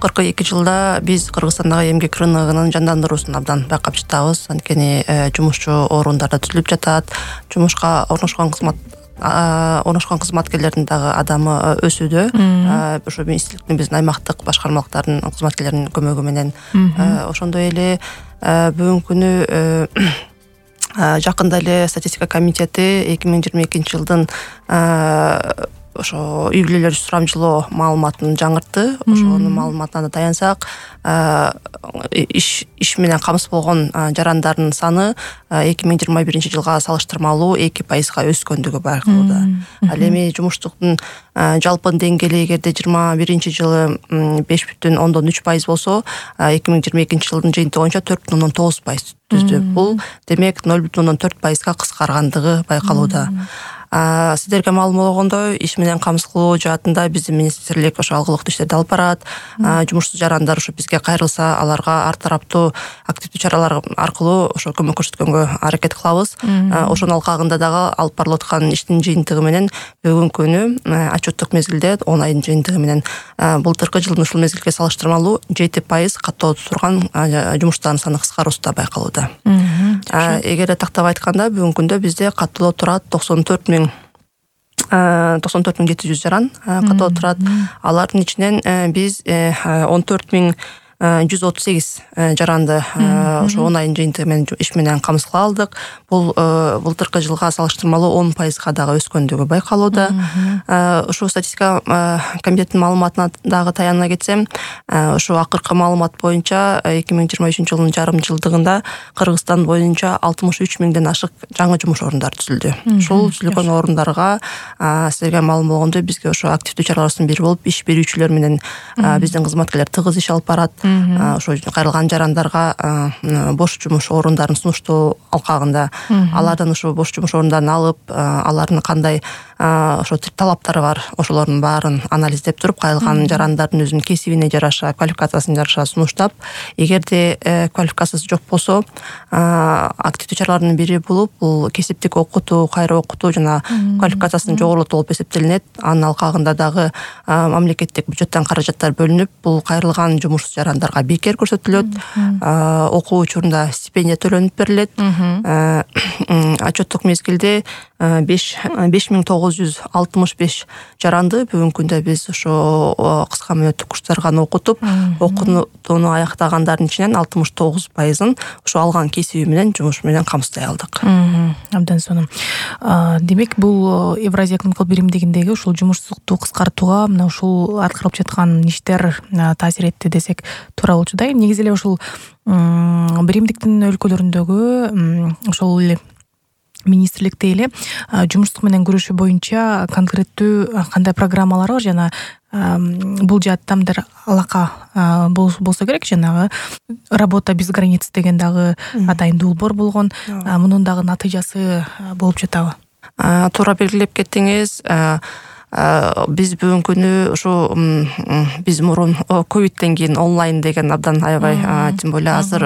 Акыркы 2 жылда биз Кыргызстандагы эмгек рыногунун жандандыруусун абдан байкап жатабыз. Анткени жумушчу орундар да түзүлүп жатат. Жумушка орношкон кызматкерлердин дагы адамы өсүүдө. Ошо министрликтин биздин аймактык башкармалыктардын кызматкерлеринин көмөгү менен. Ошондой эле бүгүнкү күнү жакында эле статистика комитети 2022 жылдын ошо үй бүлөлөр сурамжылоо маалыматын жаңыртты. Ошонун маалыматына таянсак, иш менен камсыз болгон жарандардын саны 2021 жылга салыштырмалуу 2% өскөндүгү байкалууда. Ал эми жумуштуктун жалпы деңгээли эгерде 21 жылы 5,3% болсо, 2022 жылдын жыйынтыгы боюнча 4,9% түздү. Бул демек 0,4% кыскаргандыгы байкалууда. Сиздерге маалым болгондой, иш менен камсыз кылуу жаатында биздин министрлик ошо алгылыктуу иштерди алып барат. Жумушсуз жарандар ошо бизге кайрылса, аларга ар тараптуу активдүү чаралар аркылуу ошо көмөк көрсөткөнгө аракет кылабыз. Ошонун алкагында дагы алып барылып аткан иштин жыйынтыгы менен бүгүнкү күнү отчеттук мезгилде 10 айдын жыйынтыгы менен былтыркы жылдын ушул мезгилге салыштырмалуу 7% каттоодо турган жумуштардын саны кыскаруусу байкалууда. Эгерде тактап айтканда, бүгүнкү күндө бизде каттоодо турат 94,700 жаран каттоодо турат. Алардын ичинен биз 14,138 жаранды ошо 10 айдын жыйынтыгы менен иш менен камсыз кыла алдык. Бул былтыркы жылга салыштырмалуу 10% дагы өскөндүгү байкалууда. Ушул статистика комитетинин маалыматына дагы таяна кетсем, ошо акыркы маалымат боюнча 2023 жылдын жарым жылдыгында Кыргызстан боюнча 63 миңден ашык жаңы жумуш орундары түзүлдү. Ушул түзүлгөн орундарга силерге маалым болгондой, бизге ошо активдүү чаралардын бири болуп иш берүүчүлөр менен биздин кызматкерлер тыгыз иш алып барат. Ошо кайрылган жарандарга бош жумуш орундарын сунуштоо алкагында алардан ошо бош жумуш орундарын алып, алардын кандай ошо талаптары бар, ошолордун баарын анализдеп туруп, кайрылган жарандардын өзүнүн кесибине жараша, квалификациясына жараша сунуштап, эгерде квалификациясы жок болсо, активдүү чаралардын бири болуп, бул кесиптик окутуу, кайра окутуу жана квалификациясын жогорулатуу болуп эсептелинет. Анын алкагында дагы мамлекеттик бюджеттен каражаттар бөлүнүп, бул кайрылган жумушсуз жарандарга бекер көрсөтүлөт. Окуу учурунда стипендия төлөнүп берилет. Отчеттук мезгилде 5965 жаранды бүгүнкү күндө биз ошо кыска мөөнөттүк курстарга окутуп, окуууну аяктагандардын ичинен 69%-ын ошо алган кесиби менен жумуш менен камсыздай алдык. Абдан сонун. Демек, бул Евразия экономикалык биримдигиндеги ушул жумушсуздукту кыскартууга мына ушул аткарылып жаткан иштер таасир этти десек туура болчудай. Негизи эле ушул биримдиктин өлкөлөрүндөгү ошол эле министрликте эле жумушсуздук менен күрөшүү боюнча конкреттүү кандай программалар бар жана бул жаатта мындай алака болсо керек. Жанагы работа без границ деген дагы атайын долбоор болгон. Мунун дагы натыйжасы болуп жатабы? Туура белгилеп кеттиңиз. Биз бүгүнкү күнү ушу биз мурун ковидтен кийин онлайн деген абдан аябай, тем более азыр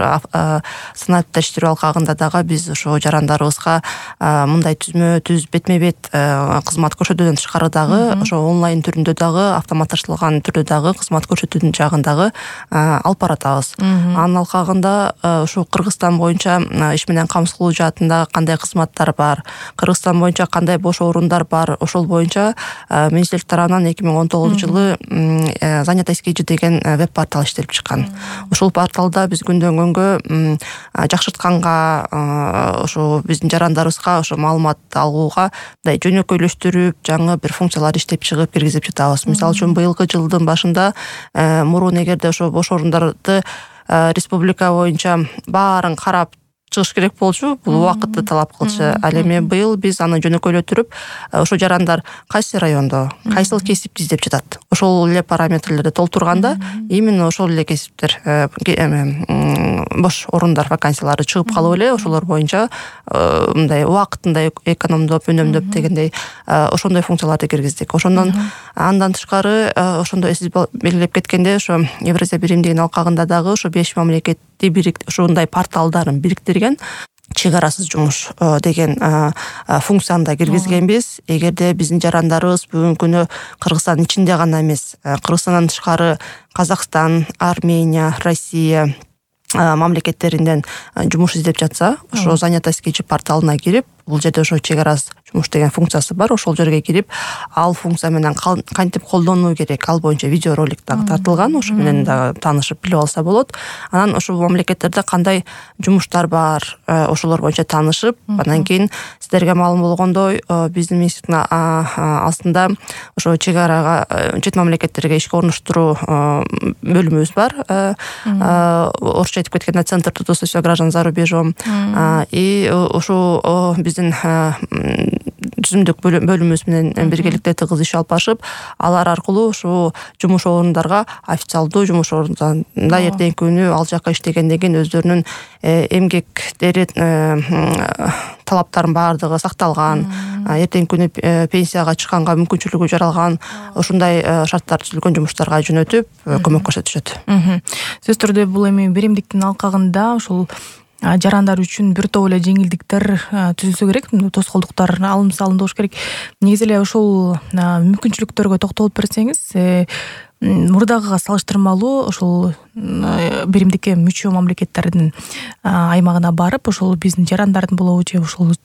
санаатта иштирүү алкагында дагы биз ошо жарандарыбызга мындай түз бетме-бет кызмат көрсөтүүдөн тышкары дагы ошо онлайн түрүндө дагы, автоматташтырылган түрдө дагы кызмат көрсөтүүдүн жагын дагы алып баратабыз. Анын алкагында ушу Кыргызстан боюнча иш менен камсыз кылуу жаатында кандай кызматтар бар, Кыргызстан боюнча кандай бош орундар бар, ошол боюнча министрлик тарабынан 2019 жылы занятость KG деген веб-портал иштелип чыккан. Ушул порталда биз күндөн күнгө жакшыртканга, ошо биздин жарандарыбызга ошо маалымат алууга мындай жөнөкөйлөштүрүп, жаңы бир функциялар иштеп чыгып киргизип жатабыз. Мисалы үчүн быйылкы жылдын башында мурун эгерде ошо бош орундарды республика боюнча баарын карап чыгыш керек болчу, бул убакытты талап кылчу. Ал эми быйыл биз аны жөнөкөйлөтүрүп, ошо жарандар кайсы райондо, кайсыл кесипти издеп жатат, ошол эле параметрлерди толтурганда, именно ошол эле кесиптер, бош орундар, вакансиялары чыгып калып эле, ошолор боюнча мындай убакытында экономдоп, үнөмдөп дегендей ошондой функцияларды киргиздик. Ошондон андан тышкары, ошондой сиз белгилеп кеткендей, ошо Евразия биримдигинин алкагында дагы ошо 5 мамлекетти ушундай порталдарын бириктирген. чек арасыз жумуш деген функцияны да киргизгенбиз. Эгерде биздин жарандарыбыз бүгүнкү күнү Кыргызстандын ичинде гана эмес, Кыргызстандан тышкары Казакстан, Армения, Россия мамлекеттеринден жумуш издеп жатса, ошо занятость кечи порталына кирип, бул жерде ошо чек арасыз жумуш деген функциясы бар. Ошол жерге кирип, ал функция менен кантип колдонуу керек, ал боюнча видеоролик дагы тартылган. Ошо менен дагы таанышып билип алса болот. Анан ошол мамлекеттерде кандай жумуштар бар, ошолор боюнча таанышып, андан кийин сиздерге маалым болгондой, биздин министрликтин астында ошо чек арага чет мамлекеттерге ишке орнуштуруу бөлүмүбүз бар. Орусча айтып кеткенде Центр трудоустройства граждан за рубежом. И ошо биздин түзүмдүк бөлүмүбүз менен биргеликте тыгыз иш алып барышып, алар аркылуу ушул жумуш орундарга официалдуу жумуш орундарында эртеңки күнү ал жака иштегенден кийин өздөрүнүн эмгектери талаптарынын баардыгы сакталган, эртеңки күнү пенсияга чыкканга мүмкүнчүлүгү жаралган ушундай шарттар түзүлгөн жумуштарга жөнөтүп көмөк көрсөтүшөт. Сөзсүз түрдө бул эми беримдиктин алкагында ушул жарандар үчүн бир топ эле жеңилдиктер түзүлсө керек, тоскоолдуктар алым салынды болуш керек. Негизи эле ушул мүмкүнчүлүктөргө токтолуп берсеңиз, мурдагыга салыштырмалуу ошол беримдикке мүчө мамлекеттердин аймагына барып, ошол биздин жарандардын болобу же ошол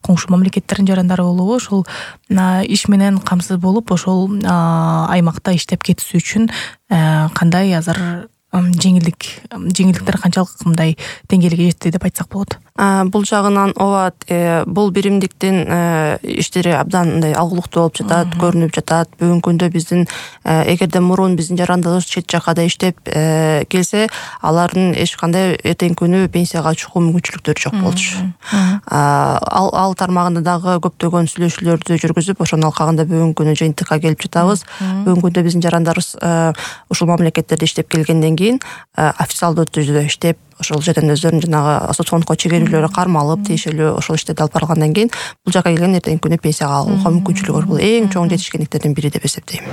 коңшу мамлекеттердин жарандары болобу, ошол иш менен камсыз болуп, ошол аймакта иштеп кетүүсү үчүн кандай азыр жеңилдиктер канчалык мындай деңгээлге жетти деп айтсак болот? Бул жагынан ооба, бул беримдиктин иштери абдан мындай алгылыктуу болуп жатат, көрүнүп жатат. Бүгүнкү күндө биздин эгерде мурун биздин жарандарыбыз чет жакада иштеп келсе, алардын эч кандай эртеңки күнү пенсияга чыгуу мүмкүнчүлүктөрү жок болчу. Ал тармагында дагы көптөгөн сүйлөшүүлөрдү жүргүзүп, ошонун алкагында бүгүнкү күнү жыйынтыкка келип жатабыз. Бүгүнкү күндө биздин жарандарыбыз ушул мамлекеттерде иштеп келгенден кийин официалдуу түрдө иштеп, ошол жерден өздөрүнүн жанагы соцфондко чегерүүлөрү кармалып, тиешелүү ошол иштерди алып баргандан кийин бул жака келген эртеңки күнү пенсияга алууга мүмкүнчүлүгү бар. Бул эң чоң жетишкендиктердин бири деп эсептейм.